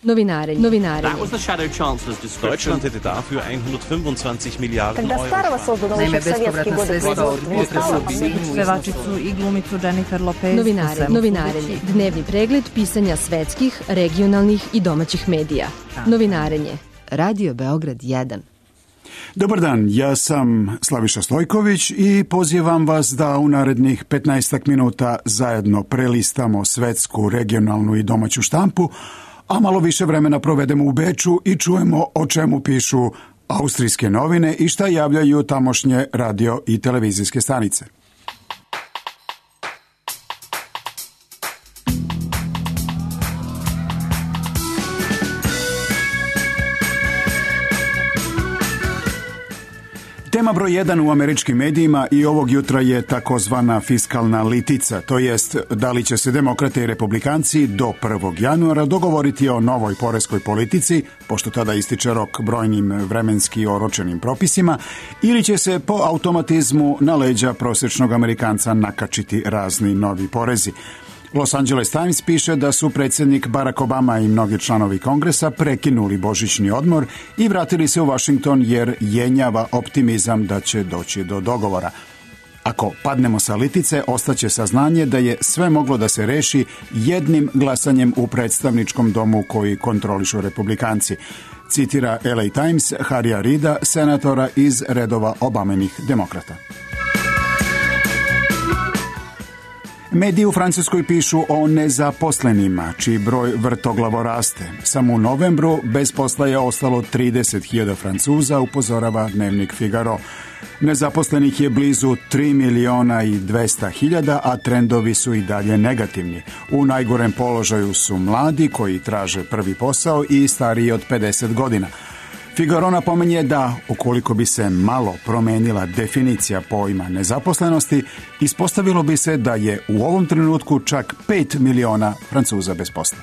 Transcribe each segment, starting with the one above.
Novinarenje. That was the Shadow Chancellor's description. Deutschland hätte dafür 125 Milijarden Euro. Naime, bespovratna sredstva od pevačicu i glumicu Jennifer Lopez. Novinarenje. Dnevni pregled pisanja svetskih, regionalnih i domaćih medija. Novinarenje. Radio Beograd 1. Dobar dan, ja sam Slaviša Stojković i pozivam vas da u narednih 15 minuta zajedno prelistamo svetsku, regionalnu i domaću štampu, a malo više vremena provedemo u Beču i čujemo o čemu pišu austrijske novine i šta javljaju tamošnje radio i televizijske stanice. Tema broj 1 u američkim medijima i ovog jutra je takozvana fiskalna litica, to jest da li će se demokrate i republikanci do 1. januara dogovoriti o novoj poreskoj politici, pošto tada ističe rok brojnim vremenski oročenim propisima, ili će se po automatizmu na leđa prosječnog Amerikanca nakačiti razni novi porezi. Los Angeles Times piše da su predsjednik Barack Obama i mnogi članovi Kongresa prekinuli božićni odmor i vratili se u Washington jer jenjava optimizam da će doći do dogovora. Ako padnemo sa litice, ostaće saznanje da je sve moglo da se reši jednim glasanjem u predstavničkom domu koji kontrolišu republikanci. Citira LA Times Harrya Reida, senatora iz redova Obamenih demokrata. Mediji u Francuskoj pišu o nezaposlenima, čiji broj vrtoglavo raste. Samo u novembru bez posla je ostalo 30.000 Francuza, upozorava dnevnik Figaro. Nezaposlenih je blizu 3.200.000, a trendovi su i dalje negativni. U najgorem položaju su mladi koji traže prvi posao i stariji od 50 godina. Figaro napominje da, ukoliko bi se malo promenila definicija pojma nezaposlenosti, ispostavilo bi se da je u ovom trenutku čak 5 miliona Francuza bez posla.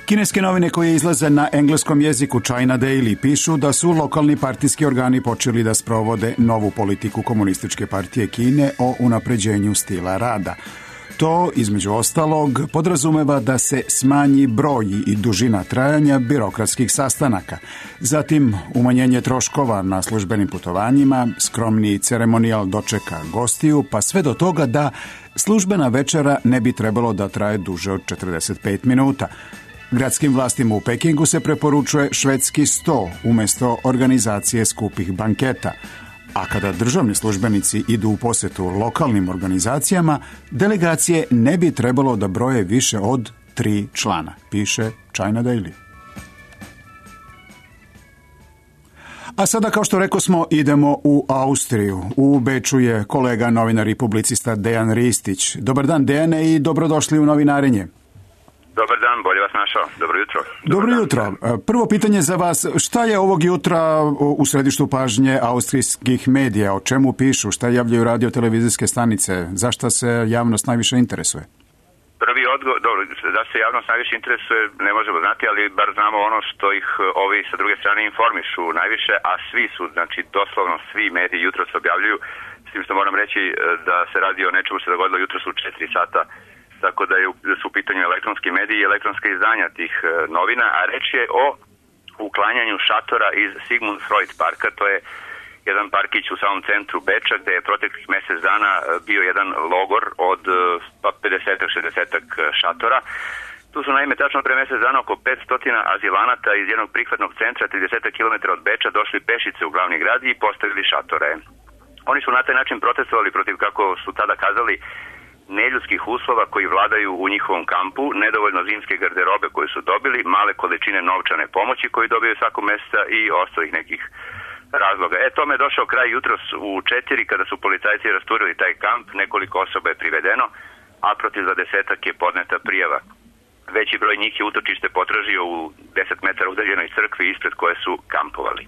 Kineske novine koje izlaze na engleskom jeziku China Daily pišu da su lokalni partijski organi počeli da sprovode novu politiku Komunističke partije Kine o unapređenju stila rada. To, između ostalog, podrazumeva da se smanji broj i dužina trajanja birokratskih sastanaka, zatim umanjenje troškova na službenim putovanjima, skromniji ceremonijal dočeka gostiju, pa sve do toga da službena večera ne bi trebalo da traje duže od 45 minuta. Gradskim vlastima u Pekingu se preporučuje švedski sto umjesto organizacije skupih banketa. A kada državni službenici idu u posjetu lokalnim organizacijama, delegacije ne bi trebalo da broje više od 3 člana, piše China Daily. A sada, kao što rekosmo, idemo u Austriju. U Beču je kolega novinar i publicista Dejan Ristić. Dobar dan, Dejane, i dobrodošli u Novinarenje. Dobar dan, bolje vas našao. Dobro jutro. Dobro jutro. Prvo pitanje za vas. Šta je ovog jutra u središtu pažnje austrijskih medija? O čemu pišu? Šta javljaju radio-televizijske stanice? Zašto se javnost najviše interesuje? Prvi odgovor, dobro, da se javnost najviše interesuje ne možemo znati, ali bar znamo ono što ih ovi sa druge strane informišu najviše, a svi su, znači doslovno svi mediji jutro se objavljuju, s tim što moram reći da se radi o nečemu se dogodilo jutro su 4 sata, tako da su u pitanju elektronski mediji i elektronska izdanja tih novina, a reč je o uklanjanju šatora iz Sigmund Freud parka. To je jedan parkić u samom centru Beča gde je proteklih mjesec dana bio jedan logor od 50-60 šatora. Tu su naime tačno pre mjesec dana oko 500 azilanata iz jednog prihvatnog centra 30 km od Beča došli pešice u glavni grad i postavili šatore. Oni su na taj način protestovali protiv, kako su tada kazali, neljudskih uslova koji vladaju u njihovom kampu, nedovoljno zimske garderobe koje su dobili, male količine novčane pomoći koji dobiju svakog mjeseca i ostalih nekih razloga. Tome je došao kraj jutros u 4 kada su policajci rasturili taj kamp, nekoliko osoba je privedeno, a protiv 20 je podneta prijava. Veći broj njih je utočište potražio u 10 metara udaljenoj crkvi ispred koje su kampovali.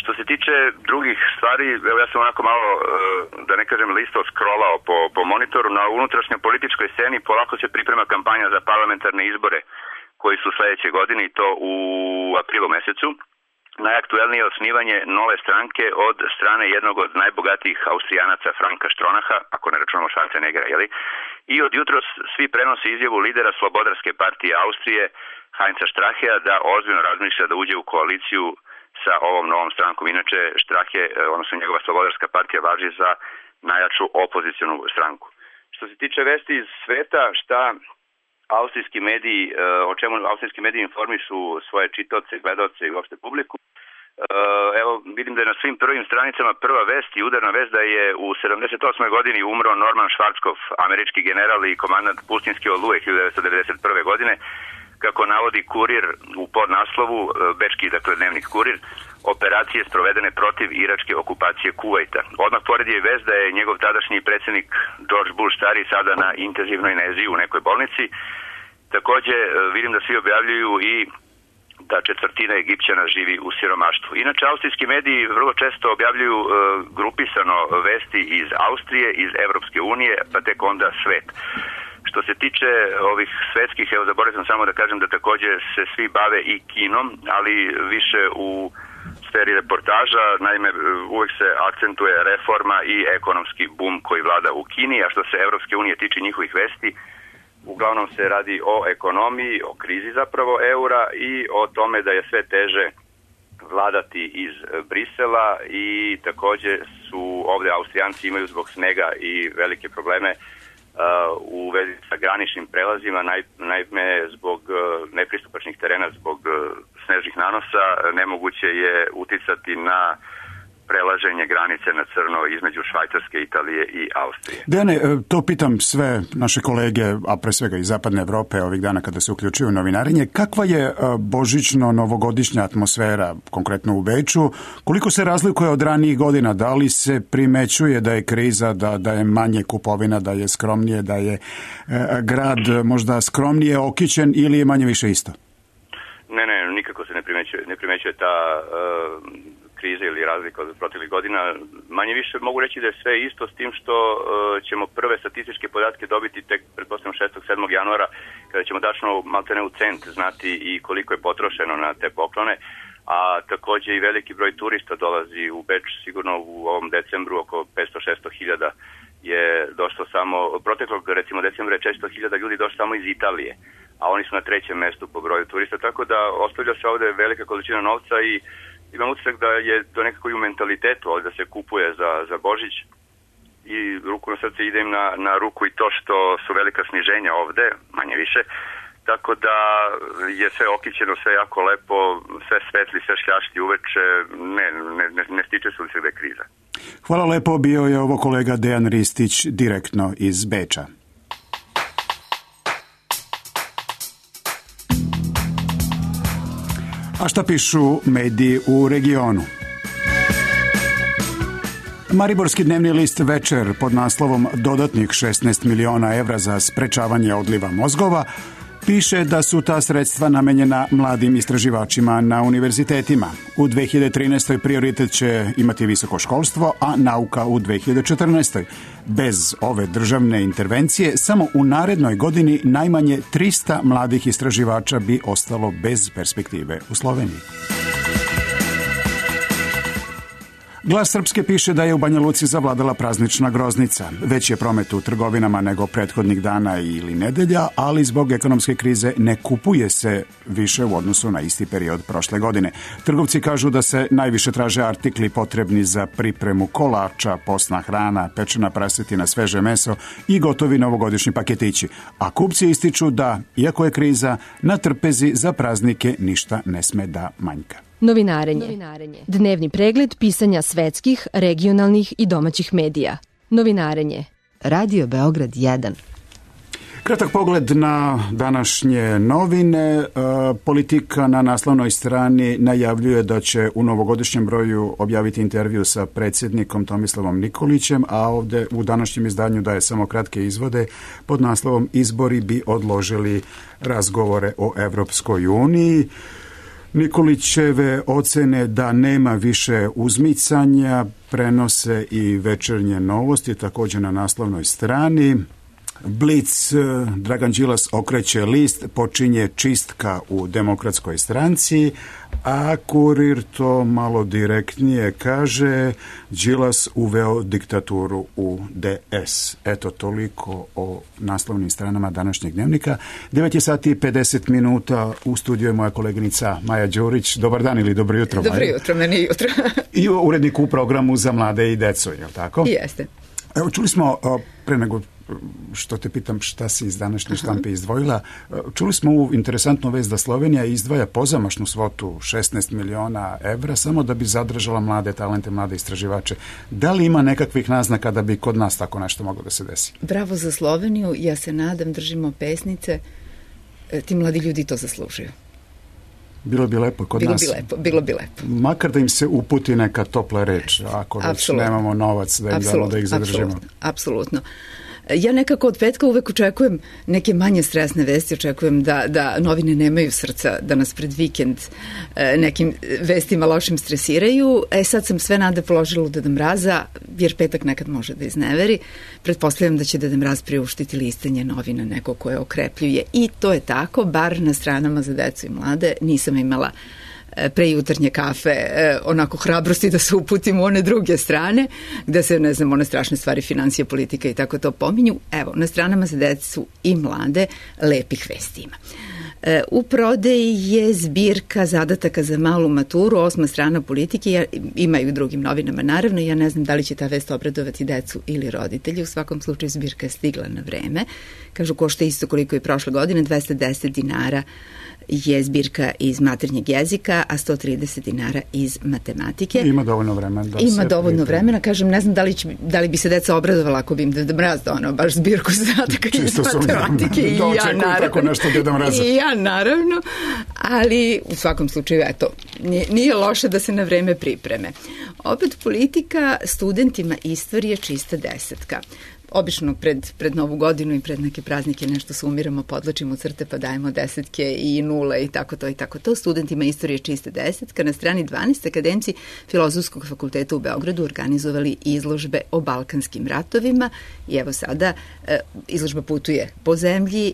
Što se tiče drugih stvari, evo ja sam onako malo, da ne kažem listo, scrollao po monitoru. Na unutrašnjoj političkoj sceni polako se priprema kampanja za parlamentarne izbore koji su sljedeće godine i to u aprilu mjesecu. Najaktuelnije je osnivanje nove stranke od strane jednog od najbogatijih Austrijanaca, Franka Stronaha, ako ne računamo Schwarzeneggera, I od jutros svi prenose izjavu lidera Slobodarske partije Austrije, Heinza Strachea, da ozbiljno razmišlja da uđe u koaliciju sa ovom novom strankom. Inače, Strache, odnosno njegova Slobodarska partija, važi za najjaču opozicionu stranku. Što se tiče vesti iz sveta, austrijski mediji, o čemu austrijski mediji informišu svoje čitaoce, gledaoce i uopšte publiku. Evo, vidim da je na svim prvim stranicama prva vest i udarna vest da je u 78. godini umro Norman Schwarzkopf, američki general i komandant pustinske oluje 1991. godine. Kako navodi Kurir u podnaslovu, bečki, dakle dnevnik Kurir, operacije sprovedene protiv iračke okupacije Kuvajta. Odmah pored je vest da je njegov tadašnji predsjednik George Bush stari sada na intenzivnoj nezi u nekoj bolnici. Takođe vidim da svi objavljuju i da četvrtina Egipćana živi u siromaštvu. Inače, austrijski mediji vrlo često objavljuju grupisano vesti iz Austrije, iz Evropske unije, pa tek onda svet. Što se tiče ovih svetskih, evo zaboravio sam samo da kažem da također se svi bave i kinom, ali više u sferi reportaža. Naime, uvek se akcentuje reforma i ekonomski bum koji vlada u Kini, a što se Evropske unije tiče njihovih vesti, uglavnom se radi o ekonomiji, o krizi zapravo eura i o tome da je sve teže vladati iz Brisela i također su ovdje Austrijanci imaju zbog snega i velike probleme u vezi sa graničnim prelazima, naime zbog nepristupačnih terena, zbog snežnih nanosa, nemoguće je uticati na prelaženje granice na crno između Švajcarske, Italije i Austrije. Dejane, to pitam sve naše kolege, a pre svega iz zapadne Evrope ovih dana kada se uključuju u novinarenje. Kakva je božićno-novogodišnja atmosfera, konkretno u Beču? Koliko se razlikuje od ranijih godina? Da li se primećuje da je kriza, da je manje kupovina, da je skromnije, da je grad možda skromnije okićen ili je manje više isto? Ne, nikako se ne primećuje ta krize ili razlika od proteklih godina. Manje više mogu reći da je sve isto, s tim što ćemo prve statističke podatke dobiti tek pretpostavljam 6. 7. januara, kada ćemo tačno maltene u cent znati i koliko je potrošeno na te poklone, a također i veliki broj turista dolazi u Beč, sigurno u ovom decembru oko 500-600 hiljada je došlo samo, proteklog recimo decembra je 400 hiljada ljudi došlo samo iz Italije, a oni su na 3. mestu po broju turista, tako da ostavlja se ovdje velika količina novca i imam utisak da je to nekako i u mentalitetu ovdje da se kupuje za Božić i ruku na srce ide im na ruku i to što su velika sniženja ovdje, manje više, tako da je sve okićeno, sve jako lepo, sve svetli, sve šljašti uveče, ne stiče se utisak da je kriza. Hvala lepo, bio je ovo kolega Dejan Ristić direktno iz Beča. A šta pišu mediji u regionu? Mariborski dnevni list Večer pod naslovom dodatnih 16 miliona evra za sprečavanje odliva mozgova piše da su ta sredstva namenjena mladim istraživačima na univerzitetima. U 2013. prioritet će imati visoko školstvo, a nauka u 2014. Bez ove državne intervencije, samo u narednoj godini najmanje 300 mladih istraživača bi ostalo bez perspektive u Sloveniji. Glas Srpske piše da je u Banja Luci zavladala praznična groznica. Već je promet u trgovinama nego prethodnih dana ili nedelja, ali zbog ekonomske krize ne kupuje se više u odnosu na isti period prošle godine. Trgovci kažu da se najviše traže artikli potrebni za pripremu kolača, postna hrana, pečena prasetina, sveže meso i gotovi novogodišnji paketići. A kupci ističu da, iako je kriza, na trpezi za praznike ništa ne sme da manjka. Novinarenje. Dnevni pregled pisanja svetskih, regionalnih i domaćih medija. Novinarenje. Radio Beograd 1. Kratak pogled na današnje novine. Politika na naslovnoj strani najavljuje da će u novogodišnjem broju objaviti intervju sa predsjednikom Tomislavom Nikolićem, a ovdje u današnjem izdanju daje samo kratke izvode pod naslovom Izbori bi odložili razgovore o Evropskoj uniji. Nikolićeve ocene da nema više uzmicanja prenose i Večernje novosti, također na naslovnoj strani. Blic, Dragan Đilas okreće list, počinje čistka u Demokratskoj stranci, a Kurir to malo direktnije kaže, Đilas uveo diktaturu u DS. Eto, toliko o naslovnim stranama današnjeg dnevnika. 9 sati i 50 minuta, u studiju je moja koleginica Maja Đurić. Dobar dan ili dobro jutro, Maja. Dobro jutro, meni jutro. I urednik u programu za mlade i decu, je li tako? Jeste. Evo, čuli smo, pre nego što te pitam šta si iz današnje štampe izdvojila, čuli smo ovu interesantnu vest da Slovenija izdvaja pozamašnu svotu 16 miliona evra samo da bi zadržala mlade talente, mlade istraživače. Da li ima nekakvih naznaka da bi kod nas tako nešto moglo da se desi? Bravo za Sloveniju, ja se nadam, držimo pesnice, ti mladi ljudi to zaslužuju. Bilo bi lepo kod nas. Bilo bi lepo. Makar da im se uputi neka topla reč, ako već nemamo novac da im damo da ih zadržimo. Apsolutno. Ja nekako od petka uvek očekujem neke manje stresne vesti, očekujem da novine nemaju srca, da nas pred vikend nekim vestima lošim stresiraju. Sad sam sve nade položila u Deda Mraza, jer petak nekad može da izneveri. Pretpostavljam da će Deda Mraz priuštiti listanje novina neko koje okrepljuje. I to je tako, bar na stranama za decu i mlade. Nisam imala pre jutarnje kafe onako hrabrosti da se uputim u one druge strane, gde se, ne znam, one strašne stvari, financija, politika i tako to pominju. Evo, na stranama za decu i mlade lepih vesti ima. U prodeji je zbirka zadataka za malu maturu, 8. strana politike, ima i u drugim novinama naravno, ja ne znam da li će ta vest obradovati decu ili roditelji, u svakom slučaju zbirka je stigla na vreme, kažu košta isto koliko i prošle godine, 210 dinara je zbirka iz maternjeg jezika, a 130 dinara iz matematike. Ima dovoljno vremena. Ima dovoljno vremena, kažem, ne znam da li bi se deca obradovala ako bi im Deda Mraz donao baš zbirku zadataka iz matematike. Da očekuju tako nešto Deda Mraza. I ja naravno, ali u svakom slučaju, eto, nije loše da se na vreme pripreme. Opet politika, studentima istorije čista desetka. Obično pred Novu godinu i pred neke praznike nešto sumiramo, podlačimo crte pa dajemo desetke i nule i tako to i tako to. Studentima istorije čiste desetka. Na strani 12 akademci Filozofskog fakulteta u Beogradu organizovali izložbe o Balkanskim ratovima i evo sada izložba putuje po zemlji,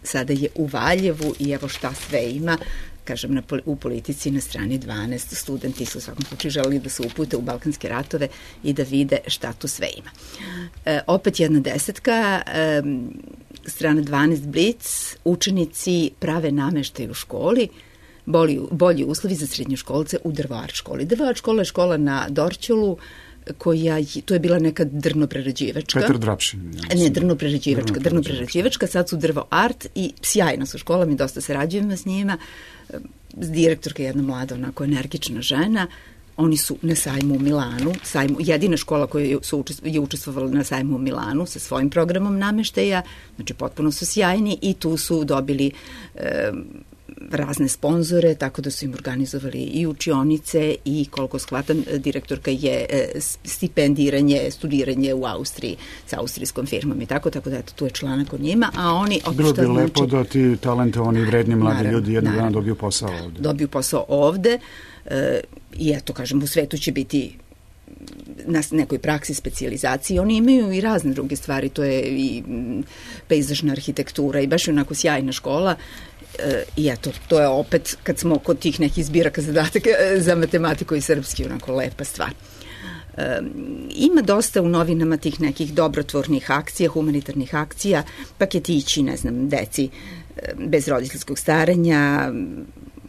sada je u Valjevu i evo šta sve ima. Kažem, u politici na strani 12 studenti su u svakom slučaju želeli da se upute u Balkanske ratove i da vide šta tu sve ima. Opet jedna desetka, strana 12 Blic, učenici prave nameštaj u školi, bolji uslovi za srednjoškolce u Drvoart školi. Drvoart škola je škola na Dorćolu, to je bila neka drnoprerađivačka. Petar Drapšin. Ne, drnoprerađivačka, sad su Drvoart i sjajna su škola, mi dosta sarađujemo s njima. Direktorka je jedna mlada, onako energična žena. Oni su na sajmu u Milanu, jedina škola koja je učestvovala na sajmu u Milanu sa svojim programom nameštaja, znači potpuno su sjajni i tu su dobili razne sponzore, tako da su im organizovali i učionice i koliko shvatam, direktorka je stipendiranje, studiranje u Austriji sa austrijskom firmom i tako da eto, tu je članak o njima, a oni... Bilo bi lepo da ti talentovani vredni mladi ljudi jednog dana dobiju posao ovde. Dobiju posao ovde i eto, kažem, u svetu će biti na nekoj praksi specijalizaciji. Oni imaju i razne druge stvari, to je i pejzažna arhitektura i baš je onako sjajna škola. I eto, to je opet, kad smo kod tih nekih zbiraka zadataka za matematiku i srpski, onako lepa stvar. Ima dosta u novinama tih nekih dobrotvornih akcija, humanitarnih akcija, paketići, ne znam, deci bez roditeljskog staranja,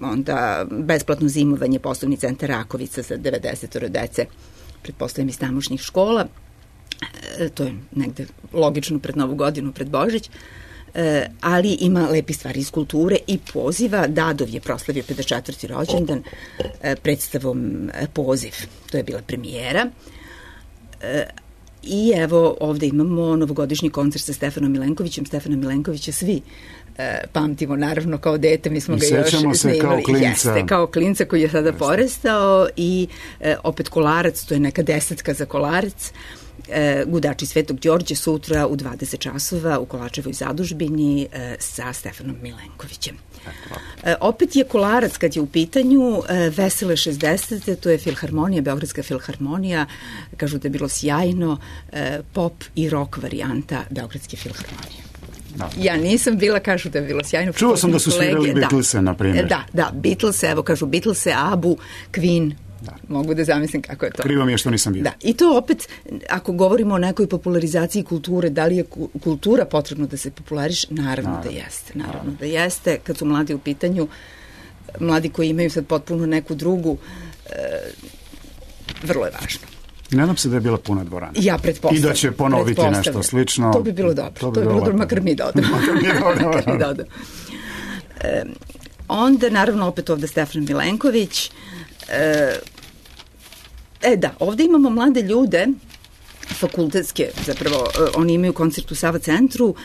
onda besplatno zimovanje, poslovni centar Rakovica za 90 dece, pretpostavljam iz tamošnjih škola, to je negde logično pred Novu godinu, pred Božić, ali ima lepi stvari iz kulture i poziva. Dadov je proslavio 54. rođendan predstavom Poziv. To je bila premijera. I evo ovde imamo novogodišnji koncert sa Stefanom Milenkovićem. Stefana Milenkovića svi pamtimo, naravno, kao dete. Mi smo ga još snimali. Kao klinca. Jeste, kao klinca koji je sada porastao i opet Kolarac, to je neka desetka za Kolarac. Gudači Svetog Đorđe sutra u 20 časova u Kolačevoj zadužbini sa Stefanom Milenkovićem. Opet je Kolarac kad je u pitanju Vesele 60. To je filharmonija, Beogradska filharmonija. Kažu da je bilo sjajno, pop i rock varijanta Beogradske filharmonije. Da. Ja nisam bila, kažu da je bilo sjajno. Čuo sam da su svirali Beatlese, na primjer. Da, Beatlese, evo kažu Beatlese, Abu, Queen. Da. Mogu da zamislim kako je to. Krivo mi je što nisam vidio. Da, i to opet, ako govorimo o nekoj popularizaciji kulture, da li je kultura potrebno da se populariše? Naravno da jeste. Naravno da jeste. Kad su mladi u pitanju, mladi koji imaju sad potpuno neku drugu, vrlo je važno. I nadam se da je bila puna dvorana. Ja pretpostavljam. I da će ponoviti nešto slično. To bi bilo dobro. To bi bilo dobro, makar mi da odemo. Onda, naravno, opet ovde Stefan Milenković. Da, ovde imamo mlade ljude, fakultetske, zapravo, oni imaju koncert u Sava centru,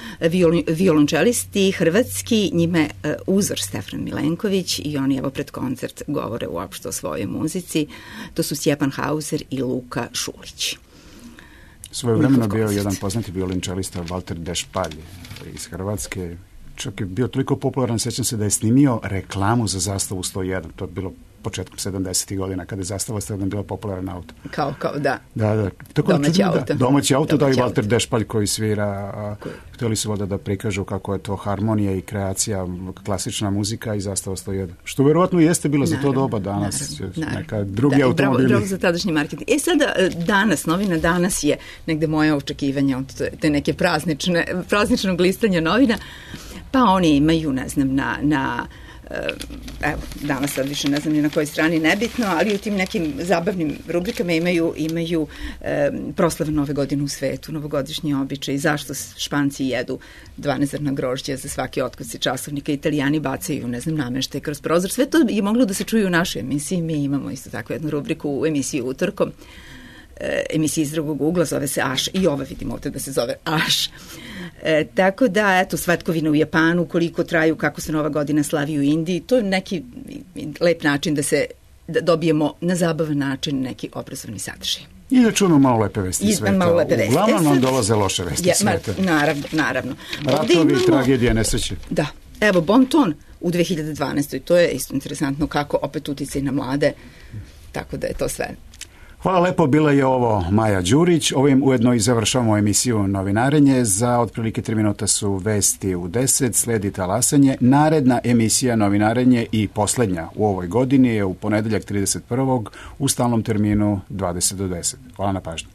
violončelisti, hrvatski, njime uzor Stefan Milenković i oni evo pred koncert govore uopšte o svojoj muzici. To su Stjepan Hauser i Luka Šulić. Svoje vremena bio jedan poznati violončelista Walter Dešpalj iz Hrvatske. Čak je bio toliko popularan, sećam se da je snimio reklamu za Zastavu 101. To je bilo početkom 70. godina, kada je Zastava 101 bila popularan auto. Kao, da. Da. Tako domaći auto, da i Walter Dešpalj koji svira. Htjeli su da prikažu kako je to harmonija i kreacija, klasična muzika i Zastava 101. Što verovatno jeste bilo za to doba danas. Neka drugi automobili. Bravo za tadašnji marketing. Sada, danas, novina danas je negde moje očekivanje od te neke prazničnog listanja novina. Pa oni imaju, ne znam, evo, danas sad više ne znam ni na kojoj strani, nebitno, ali u tim nekim zabavnim rubrikama imaju proslave Nove godine u svetu, novogodišnji običaj, zašto Španci jedu 12 zrna grožđa za svaki otkuci časovnika, Italijani bacaju, ne znam, nameštaj kroz prozor. Sve to je moglo da se čuje u našoj emisiji. Mi imamo isto tako jednu rubriku u emisiji Utorkom, emisiji iz drugog ugla, zove se Aš, i ova vidimo ovdje da se zove Aš. Tako da, eto, svatkovine u Japanu, koliko traju, kako se Nova godina slavi u Indiji, to je neki lep način da dobijemo na zabavan način neki obrazovni sadržaj. I da čujemo malo lepe vesti sveta. Uglavnom nam dolaze loše vesti sveta. Naravno. Ratovi, tragedije, nesreće. Da. Evo, Bon ton u 2012. To je isto interesantno kako opet uticaj na mlade, tako da je to sve. Hvala lepo, bila je ovo Maja Đurić. Ovim ujedno i završavamo emisiju Novinarenje. Za otprilike 3 minuta su vesti u 10, sledi talasanje. Naredna emisija Novinarenje i poslednja u ovoj godini je u ponedeljak 31. u stalnom terminu 20 do 10. Hvala na pažnju.